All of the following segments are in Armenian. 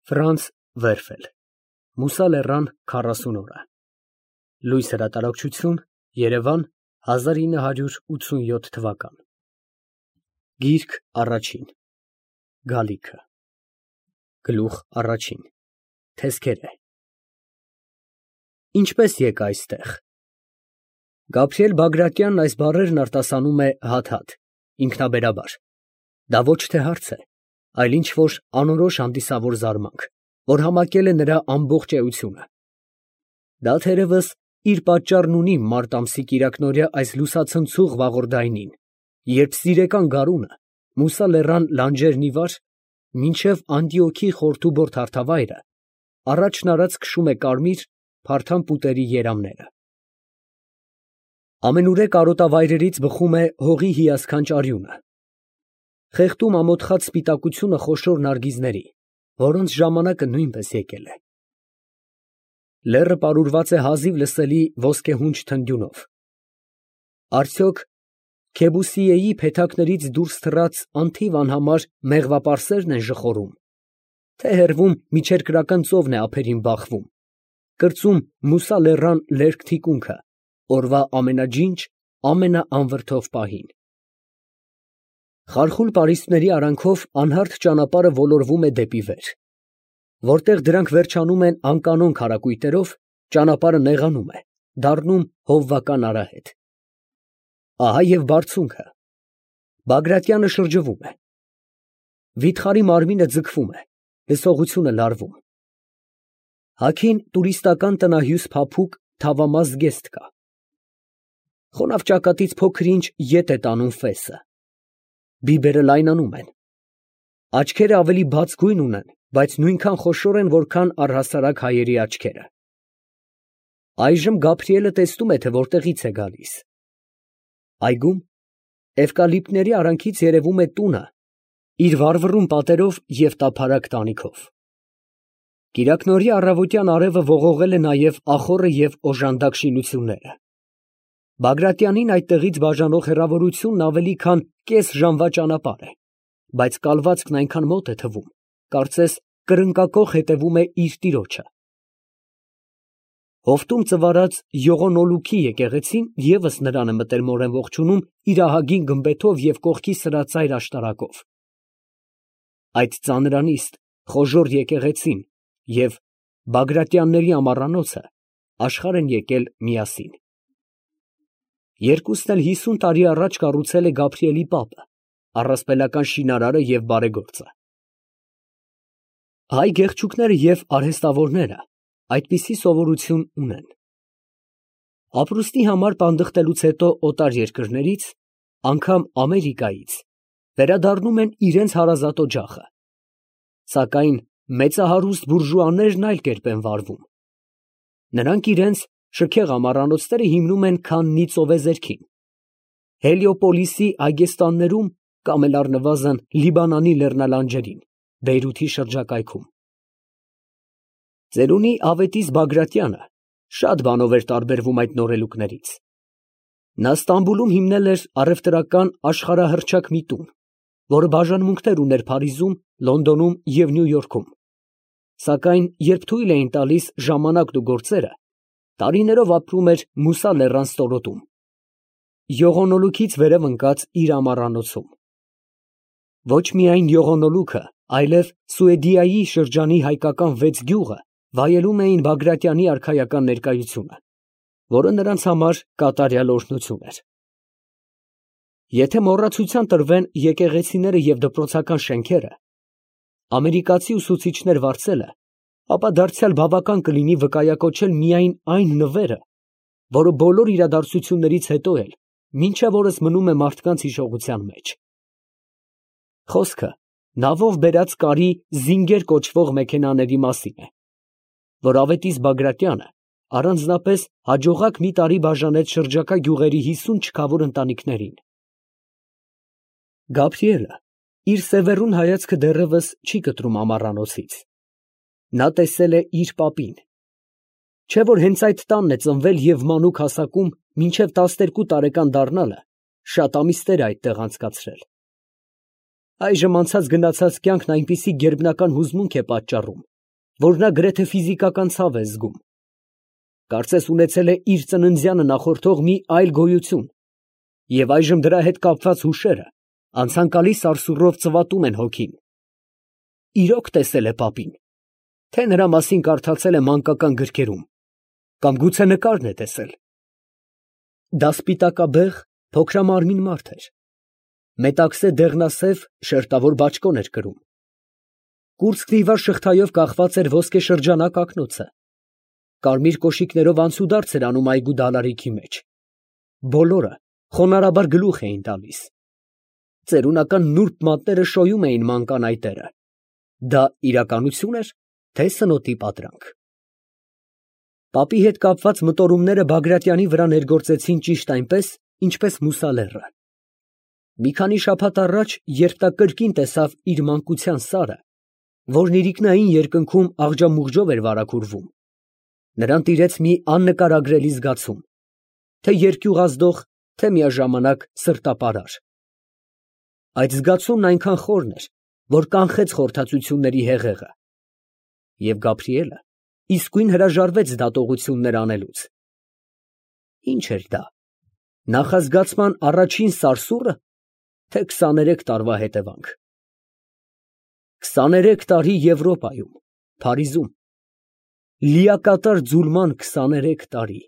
Ֆրանց Վերֆել Մուսա Լեռան 40 օրը Լույս հրատարակչություն Երևան 1987 թվական Գիրք առաջին Գալիքը Գլուխ առաջին Թեզքերը Ինչպես եկա այստեղ Գաբրիել Բագրատյանն այս բառերն արտասանում է հատ-հատ, ինքնաբերաբար։ Դա ոչ թե հարց է, այլ ինչ-որ անորոշ հանդիսավոր զարմանք, որ համակել է նրա ամբողջ էությունը։ Դա թերևս իր պատճառն ունի մարտ ամսի կիրակնօրյա այս լուսացնցուղ վաղորդայնին, երբ սիրեկան գարունը, Մուսա Լեռան լանջերն ի վար, մինչև Անդիոքի խորթուբորդ հարթավայրը, առաջն արած քշում է կարմիր, փարթամ պուտերի երամները։ Ամենուրեք արոտավայրերից բխում է հողի հիասքանչ արյունը։ Խեղդում ամոթխած սպիտակությունը խոշոր նարգիզների, որոնց ժամանակը նույնպես եկել է։ Լեռը պարուրված է հազիվ լսելի ոսկեհունչ թնդյունով։ Արդյոք Քեբուսիեի փեթակներից դուրս թռած անթիվ անհամար մեղվապարսերն են ժխորում, թե հեռվում միջերկրական ծովն է ափերին բախվում, կրծում Մուսա Լեռան լերկ թիկունքը, օրվա ամենաջինջ, ամենաանվրդով պահին։ Խարխուլ պարիսպների արանքով անհարթ ճանապարհը ոլորվում է դեպի վեր։ Որտեղ դրանք վերջանում են անկանոն քարակույտերով, ճանապարհը նեղանում է, դառնում հովվական արահետ։ Ահա և բարձունքը։ Բագրատյանը շրջվում է։ Վիթխարի մարմինը ձգվում է, լսողությունը լարվում։ Հագին տուրիստական տնահյուս փափուկ, թավամաս զգեստ կա։ Խոնավ ճակատից փոքր-ինչ ետ է տանում ֆեսը։ Բիբերը լայնանում են։ Աչքերը ավելի բաց գույն ունեն, բայց նույնքան խոշոր են, որքան առհասարակ հայերի աչքերը։ Այժմ Գաբրիելը տեսնում է, թե որտեղից է գալիս։ Այգում էվկալիպտների արանքից երևում է տունը, իր վառվռուն պատերով և տափարակ տանիքով։ Կիրակնօրյա առավոտյան արևը ողողել է նաև ախոռը և օժանդակ շինությունները։ Բագրատյանին այդտեղից բաժանող հեռավորությունն ավելի քան կես ժամվա ճանապարհ է, բայց կալվածքն այնքան մոտ է թվում, կարծես կրնկակոխ հետևում է իր տիրոջը։ Հովտում ծվարած յողոնոլուքի եկեղեցին ևս նրան է մտերմորեն ողջունում իր ահագին գմբեթով և կողքի սրածայր աշտարակով։ Այդ ծանրանիստ, խոժոռ եկեղեցին և Բագրատյանների ամառանոցը աշխարհ են եկել միասին։ Երկուսն էլ 50 տարի առաջ կառուցել է Գաբրիելի պապը, առասպելական շինարարը և բարեգործը։ Հայ գեղչուկները և արհեստավորները այդպիսի սովորություն ունեն։ Ապրուստի համար պանդխտելուց հետո օտար երկրներից, անգամ Ամերիկայից, վերադառնում են իրենց հարազատ օջախը։ Սակայն մեծահարուստ բուրժուաներն այլ կերպ են վարվում։ Նրանք իրենց շքեղ ամառանոցները հիմնում են քաննի ծովեզերքին, Հելիոպոլիսի այգեստաններում կամ էլ առնվազն Լիբանանի լեռնալանջերին, Բեյրութի շրջակայքում։ Ծերունի Ավետիս Բագրատյանը շատ բանով էր տարբերվում այդ նորելուկներից։ Նա Ստամբուլում հիմնել էր առևտրական աշխարհահռչակ մի տուն, որը բաժանմունքներ ուներ Փարիզում, Լոնդոնում և Նյու Յորքում, սակայն երբ թույլ էին տալիս ժամանակն ու գործերը, տարիներով ապրում էր Մուսա Լեռան ստորոտում, յողոնոլուքից վերև ընկած իր ամառանոցում։ Ոչ միայն յողոնոլուքը, այլև Սուեդիայի շրջանի հայկական 6 գյուղը վայելում էին Բագրատյանի արքայական ներկայությունը, որը նրանց համար կատարյալ օրհնություն էր։ Եթե մոռացության տրվեն եկեղեցիները և դպրոցական շենքերը, ամերիկացի ուսուցիչներ վարձելը, ապա դարձյալ բավական կլինի վկայակոչել միայն այն նվերը, որը բոլոր իրադարձություններից հետո էլ մինչև օրս մնում է մարդկանց հիշողության մեջ։ Խոսքը նավով բերած կարի զինգեր կոչվող մեքենաների մասին է, որ Ավետիս Բագրատյանը առանձնապես հաջողակ մի տարի բաժանեց շրջակա գյուղերի 50 չքավոր ընտանիքներին։ Գաբրիելը իր սևեռուն հայացքը դեռևս չի կտրում ամառանոցից։ Նա տեսել է իր պապին։ Չէ՞ որ հենց այդ տանն է ծնվել և մանուկ հասակում մինչև 12 տարեկան դառնալը շատ ամիսներ է այդտեղ անցկացրել։ Այժմ անցած գնացած կյանքն այնպիսի գերբնական հուզմունք է պատճառում, որ նա գրեթե ֆիզիկական ցավ է զգում։ Կարծես ունեցել է իր ծննդյանը նախորդող մի այլ գոյություն, և այժմ դրա հետ կապված հուշերը անցանկալի սարսուռով ծվատում են հոգին։ Իրոք տեսել է պապին, թե նրա մասին կարդացել է մանկական գրքերում, կամ գուցե նկարն է տեսել։ Դա սպիտակաբեղ, փոքրամարմին մարդ էր, մետաքսե դեղնասև շերտավոր բաճկոն էր կրում։ Կուրծքն իվար շղթայով կախված էր ոսկե շրջանակ ակնոցը, կարմիր կոշիկներով անցուդարձ էր անում այգու դալարիքի մեջ։ Բոլորը խոնարհաբար գլուխ էին տալիս։ Ծերունական նուրբ մատները շոյում էին ման կանայտերը։ Դա իրականություն էր, թե սնոտի պատրանք։ Պապի հետ կապված մտորումները Բագրատյանի վրա ներգործեցին ճիշտ այնպես, ինչպես Մուսալեռը։ Մի քանի շաբաթ առաջ, երբ նա կրկին տեսավ իր մանկության սարը, որն իրիկնային երկնքում աղջամուղջով էր վարագուրվում, նրան տիրեց մի աննկարագրելի զգացում, թե երկյուղազդող, թե միաժամանակ սրտապարար։ Այդ զգացումն այնքան խորն էր, որ կանխեց խորհրդածությունների հեղեղը, և Գաբրիելը իսկույն հրաժարվեց դատողություններ անելուց։ Ինչ էր դա, նախազգացման առաջին սարսուռը, թե 23 տարվա հետևանք։ 23 տարի Եվրոպայում, Փարիզում, լիակատար ձուլման 23 տարի։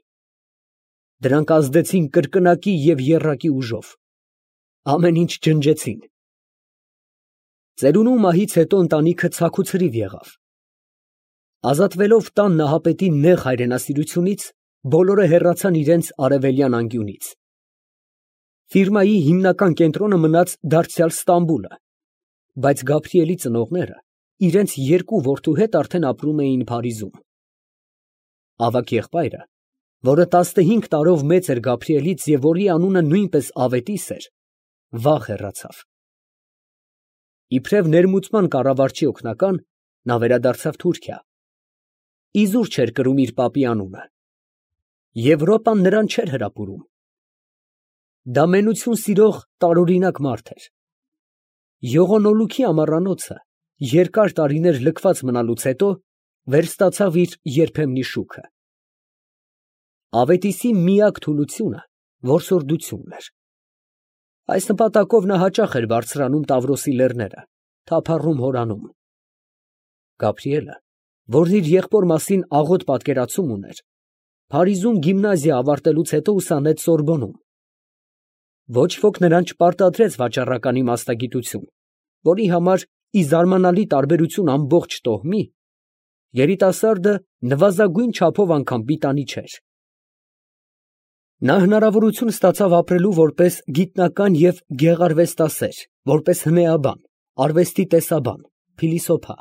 Դրանք ազդեցին կրկնակի և եռակի ուժով, ամեն ինչ ջնջեցին։ Ծերունու մահից հետո ընտանիքը ցաքուցրիվ եղավ։ Ազատվելով տան նահապետի նեղ հայրենասիրությունից, բոլորը հեռացան իրենց արևելյան անկյունից։ Ֆիրմայի հիմնական կենտրոնը մնաց դարձյալ Ստամբուլը, բայց Գաբրիելի ծնողները իրենց երկու որդու հետ արդեն ապրում էին Փարիզում։ Ավագ եղբայրը, որը 15 տարով մեծ էր Գաբրիելից և որի անունը նույնպես Ավետիս էր, վաղ հեռացավ։ Իբրև ներմուծման կառավարչի օգնական, նա վերադարձավ Թուրքիա։ Իզուր չէր կրում իր պապի անունը։ Եվրոպան նրան չէր հրապուրում։ Դա մենություն սիրող տարօրինակ մարդ էր։ Յողոնոլուքի ամառանոցը, երկար տարիներ լքված մնալուց հետո, վերստացավ իր երբեմնի շուքը։ Ավետիսի միակ թուլությունը որսորդությունն էր։ Այս նպատակով նա հաճախ էր բարձրանում Տավրոսի լեռները, թափառում հորանում։ Գաբրիելը, որն իր եղբոր մասին աղոտ պատկերացում ուներ, Փարիզում գիմնազիա ավարտելուց հետո ուսանեց Սորբոնում։ Ոչ ոք նրան չպարտադրեց վաճառականի մասնագիտություն, որի համար, ի զարմանալի տարբերություն ամբողջ տոհմի, երիտասարդը նվազագույն չափով անգամ պիտանի չէր։ Նա հնարավորություն ստացավ ապրելու որպես գիտնական և գեղարվեստասեր, որպես հնեաբան, արվեստի տեսաբան, փիլիսոփա։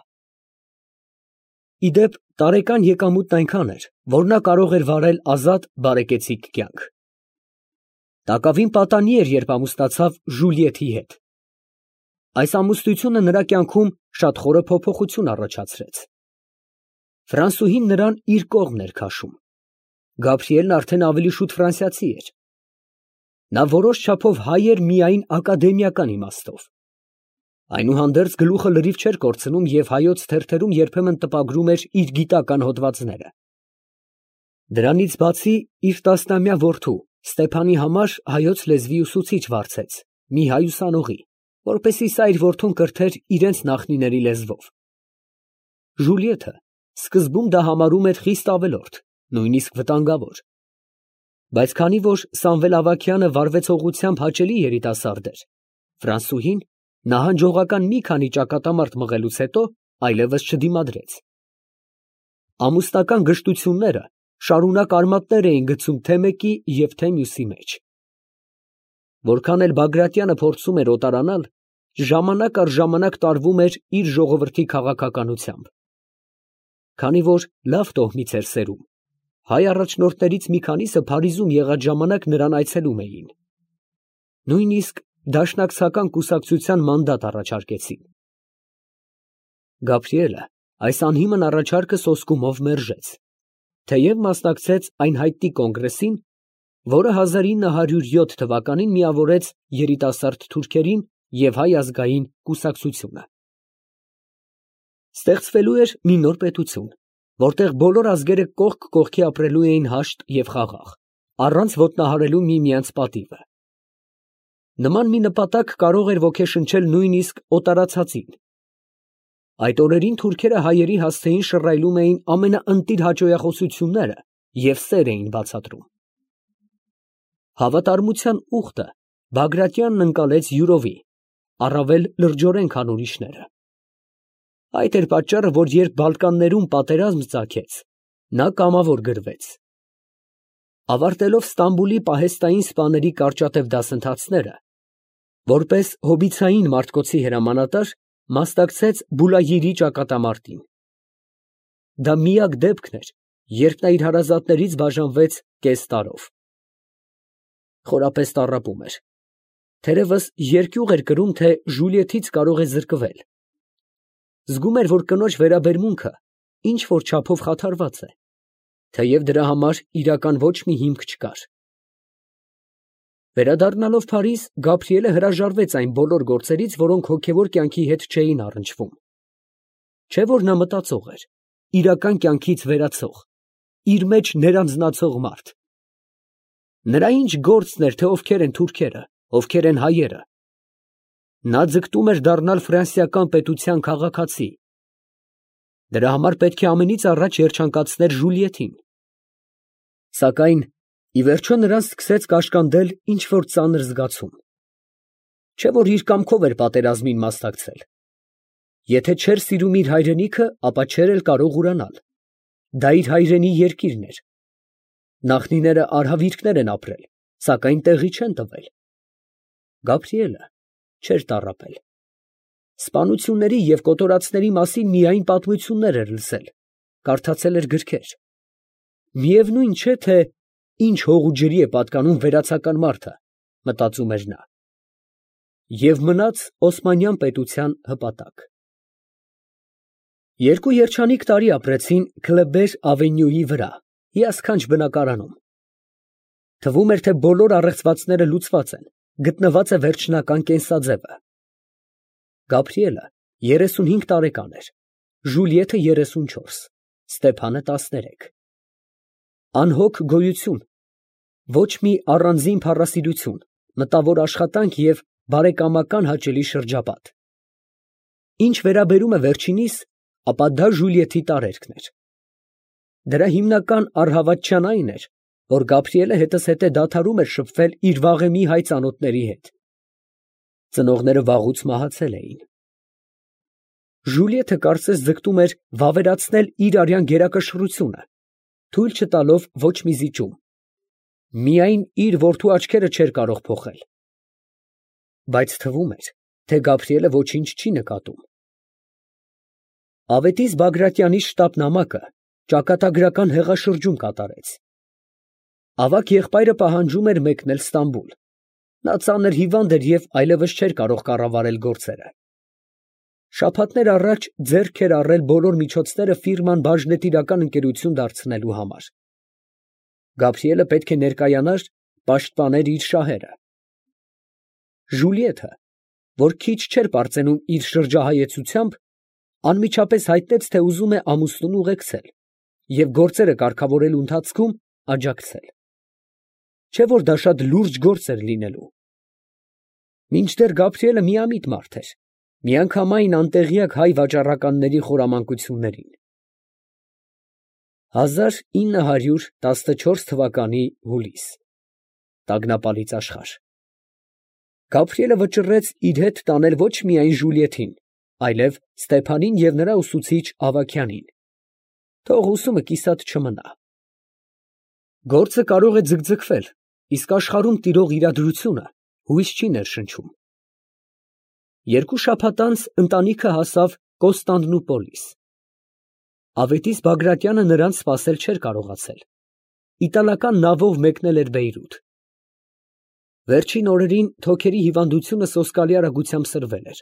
Ի դեպ, տարեկան եկամուտն այնքան էր, որ նա կարող էր վարել ազատ, բարեկեցիկ կյանք։ Տակավին պատանի էր, երբ ամուսնացավ Ժուլիեթի հետ։ Այս ամուսնությունը նրա կյանքում շատ խորը փոփոխություն առաջացրեց։ Ֆրանսուհին նրան իր կողմն էր քաշում։ Գաբրիելն արդեն ավելի շուտ ֆրանսիացի էր։ Նա որոշ չափով հայ էր միայն ակադեմիական իմաստով։ Այնուհանդերձ գլուխը լրիվ չէր կորցնում և հայոց թերթերում երբեմն տպագրում էր իր գիտական հոդվածները։ Դրանից բացի իր 10-ամյա որդու Ստեփանի համար հայոց լեզվի ուսուցիչ վարձեց, մի հայ ուսանողի, որպեսզի սա իր որդուն կրթեր իրենց նախնիների լեզվով։ Ժուլիեթը սկզբում դա համարում էր խիստ ավելորդ, նույնիսկ վտանգավոր։ Բայց քանի որ Սամվել Ավագյանը վարվեցողությամբ հաճելի երիտասարդ էր, ֆրանսուհին նահանջողական մի քանի ճակատամարտ մղելուց հետո այլևս չդիմադրեց։ Ամուսնական գժտությունները շարունակ արմատներ էին գցում թե մեկի և թե մյուսի մեջ։ Որքան էլ Բագրատյանը փորձում էր օտարանալ, ժամանակ առ ժամանակ տարվում էր իր ժողովրդի քաղաքականությամբ։ Քանի որ լավ տոհմից էր սերում, հայ առաջնորդներից մի քանիսը Փարիզում եղած ժամանակ նրան այցելում էին։ Նույնիսկ դաշնակցական կուսակցության մանդատ առաջարկեցին։ Գաբրիելը այս անհիմն առաջարկը սոսկումով մերժեց, թեև մասնակցեց այն հայտնի կոնգրեսին, որը 1907 թվականին միավորեց երիտասարդ թուրքերին և Հայ ազգային կուսակցությունը։ Ստեղծվելու էր մի նոր պետություն, որտեղ բոլոր ազգերը կողք կողքի ապրելու էին հաշտ և խաղաղ, առանց ոտնահարելու միմյանց պատիվը։ Նման մի նպատակ կարող էր ոգեշնչել նույնիսկ օտարացածին։ Այդ օրերին թուրքերը հայերի հասցեին շռայլում էին ամենաընտիր հաճոյախոսությունները և սեր էին բացատրում։ Հավատարմության ուխտը Բագրատյանն ընկալեց յուրովի, առավել լրջորեն, քան ուրիշները։ Այդ էր պատճառը, որ երբ Բալկաններում պատերազմ ծագեց, նա կամավոր գրվեց։ Ավարտելով Ստամբուլի պահեստային սպաների կարճատև դասընթացները, որպես հոբիցային մարտկոցի հրամանատար, մասնակցեց Բուլայիրի ճակատամարտին։ Դա միակ դեպքն էր, երբ նա իր հարազատներից բաժանվեց կես տարով։ Խորապես տառապում էր։ Թերևս երկյուղ էր կրում, թե Ժուլիեթից կարող է զրկվել։ Զգում էր, որ կնոջ վերաբերմունքը ինչ որ չափով խաթարված է, թեև դրա համար իրական ոչ մի հիմք չկար։ Վերադառնալով Փարիզ, Գաբրիելը հրաժարվեց այն բոլոր գործերից, որոնք հոգևոր կյանքի հետ չէին առնչվում։ Չէ որ նա մտածող էր, իրական կյանքից վերացող, իր մեջ ներանձնացող մարդ։ Նրա ինչ գործն էր, թե ովքեր են թուրքերը, ովքեր են հայերը։ Նա ձգտում էր դառնալ ֆրանսիական պետության քաղաքացի։ Դրա համար պետք է ամենից առաջ երջանկացներ Ժուլիեթին։ Սակայն ի վերջո նրան սկսեց կաշկանդել ինչ որ ծանր զգացում։ Չէ որ իր կամքով էր պատերազմին մասնակցել։ Եթե չէր սիրում իր հայրենիքը, ապա չէր էլ կարող ուրանալ։ Դա իր հայրենի երկիրն էր։ Նախնիները արհավիրքներ են ապրել, սակայն տեղի չեն տվել։ Գաբրիելը չէր տառապել։ Սպանությունների և կոտորածների մասին միայն պատմություններ էր լսել, կարդացել էր գրքեր։ Միևնույն չէ, թե ինչ հող ու ջրի է պատկանում վերացական մարդը, մտածում էր նա։ Եվ մնաց Օսմանյան պետության հպատակ։ Երկու երջանիկ տարի ապրեցին Քլեբեր ավենյուի վրա, հիասքանչ բնակարանում։ Թվում էր, թե բոլոր առեղծվածները լուծված են, գտնված է վերջնական կենսաձևը։ Գաբրիելը 35 տարեկան էր, Ժուլիեթը 34, Ստեփանը 13։ Անհոգ գոյություն, ոչ մի առանձին փառասիրություն, մտավոր աշխատանք և բարեկամական հաճելի շրջապատ։ Ինչ վերաբերում է վերջինիս, ապա դա Ժուլիեթի տարերքն էր։ Դրա հիմնական առհավատչան այն էր, որ Գաբրիելը հետզհետե դադարում էր շփվել իր վաղեմի հայ ծանոթների հետ։ Ծնողները վաղուց մահացել էին։ Ժուլիեթը կարծես ձգտում էր վավերացնել իր արյան գերակշռությունը, թույլ չտալով ոչ մի զիջում։ Միայն իր որդու աչքերը չէր կարող փոխել։ Բայց թվում էր, թե Գաբրիելը ոչինչ չի նկատում։ Ավետիս Բագրատյանի շտապ նամակը ճակատագրական հեղաշրջում կատարեց։ Ավագ եղբայրը պահանջում էր մեկնել Ստամբուլ։ Նա ծանր հիվանդ էր և այլևս չէր կարող կառավարել գործերը։ Շաբաթներ առաջ ձեռք էր առել բոլոր միջոցները ֆիրման բաժնետիրական ընկերություն դարձնելու համար։ Գաբրիելը պետք է ներկայանար, պաշտպաներ իր շահերը։ Ժուլիեթը, որ քիչ չէր պարծենում իր շրջահայեցությամբ, անմիջապես հայտնեց, թե ուզում է ամուսնուն ուղեկցել և գործերը կարգավորելու ընթացքում աջակցել։ Չէ որ դա շատ լուրջ գործ էր լինելու։ Մինչդեռ Գաբրիելը միամիտ մարդ էր, միանգամայն անտեղյակ հայ վաճառականների խորամանկություններին։ 1914 թվականի հուլիս տագնապալից աշխարհ։ Գաբրիելը վճռեց իր հետ տանել ոչ միայն Ժուլիեթին, այլև Ստեփանին և նրա ուսուցիչ Ավագյանին։ Թող ուսումը կիսատ չմնա։ Գործը կարող է ձգձգվել, իսկ աշխարհում տիրող իրադրությունը հույս չի ներշնչում։ Երկու շաբաթ անց ընտանիքը հասավ Կոստանդնուպոլիս։ Ավետիս Բագրատյանը նրանց սպասել չէր կարողացել։ Իտալական նավով մեկնել էր Բեյրութ։ Վերջին օրերին թոքերի հիվանդությունը սոսկալի արագությամբ սրվել էր,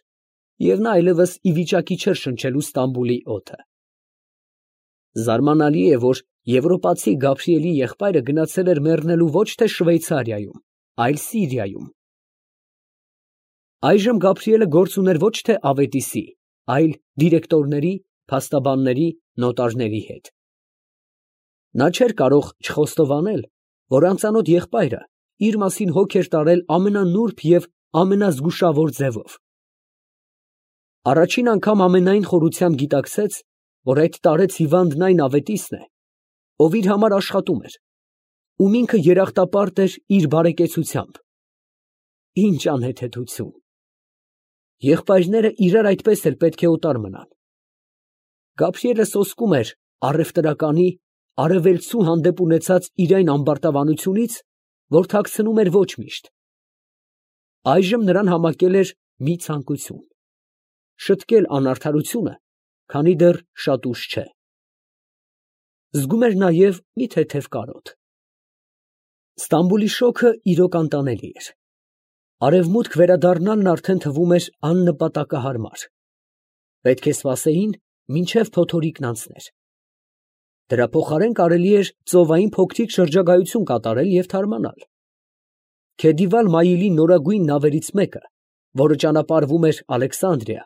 և նա այլևս ի վիճակի չէր շնչելու Ստամբուլի օդը։ Զարմանալի է, որ եվրոպացի Գաբրիելի եղբայրը գնացել էր մեռնելու ոչ թե Շվեյցարիայում, այլ Սիրիայում։ Այժմ Գաբրիելը գործ ուներ ոչ թե ավետիսի, այլ դիրեկտորների, փաստաբանների, նոտարների հետ։ Նա չէր կարող չխոստովանել, որ անծանոթ եղբայրը իր մասին հոգ էր տարել ամենանուրբ և ամենազգուշավոր ձևով։ Առաջին անգամ ամենայն խորությամբ գիտակցեց, որ այդ տարեց հիվանդն այն ավետիսն է, ով իր համար աշխատում էր, ում ինքը երախտապարտ էր իր բարեկեցությամբ։ Ինչ անհեթեթություն։ Եղբայրները իրար այդպես էլ պետք է օտար մնան։ Գաբրիելը սոսկում էր առևտրականի, արևելցու հանդեպ ունեցած իր այն ամբարտավանությունից, որ թաքցնում էր ոչ միշտ։ Այժմ նրան համակել էր մի ցանկություն՝ շտկել անարդարությունը, քանի դեռ շատ ուշ չէ։ Զգում էր նաև մի թեթև կարոտ։ Ստամբուլի շոգը իրոք անտանելի էր։ Արևմուտք վերադառնալն արդեն թվում էր աննպատակահարմար։ Պետք է սպասեին, մինչև փոթորիկն անցներ։ Դրա փոխարեն կարելի էր ծովային փոքրիկ շրջագայություն կատարել և թարմանալ։ Քեդիվալ Մայիլի նորագույն նավերից մեկը, որը ճանապարհվում էր Ալեքսանդրիա,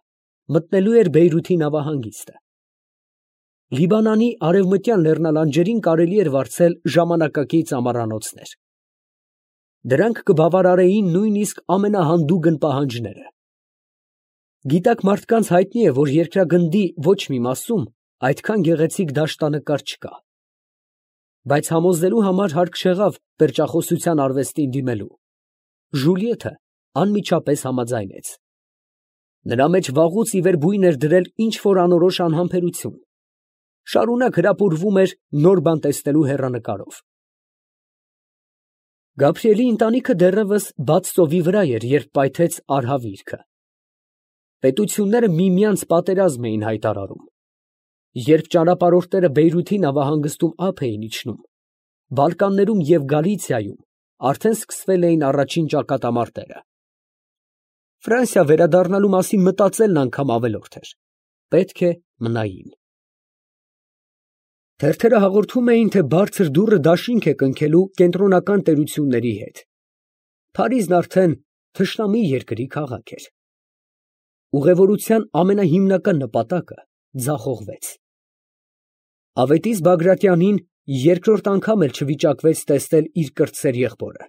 մտնելու էր Բեյրութի նավահանգիստը։ Լիբանանի արևմտյան լեռնալանջերին կարելի էր վարձել ժամանակակից ամառանոցներ։ Դրանք կբավարարեին նույնիսկ ամենահանդուգն պահանջները։ Գիտակ մարդկանց հայտնի է, որ երկրագնդի ոչ մի մասում այդքան գեղեցիկ դաշտանկար չկա։ Բայց համոզելու համար հարկ չեղավ պերճախոսության արվեստին դիմելու։ Ժուլիեթը անմիջապես համաձայնեց։ Նրա մեջ վաղուց ի վեր բույն էր դրել ինչ֊որ անորոշ անհամբերություն։ Շարունակ հրապուրվում էր նոր բան տեսնելու հեռանկարով։ Գաբրիելի ընտանիքը դեռևս բաց ծովի վրա էր, երբ պայթեց արհավիրքը։ Պետությունները միմյանց պատերազմ էին հայտարարում։ Երբ ճանապարհորդները Բեյրութի նավահանգստում ափ էին իջնում, Բալկաններում և Գալիցիայում արդեն սկսվել էին առաջին ճակատամարտերը։ Ֆրանսիա վերադառնալու մասին մտածելն անգամ ավելորդ էր։ Պետք է մնային։ Թերթերը հաղորդում էին, թե բարձր դուռը դաշինք է կնքելու կենտրոնական տերությունների հետ։ Փարիզն արդեն թշնամի երկրի քաղաք էր։ Ուղևորության ամենահիմնական նպատակը ձախողվեց։ Ավետիս Բագրատյանին երկրորդ անգամ էլ չվիճակվեց տեսնել իր կրտսեր եղբորը։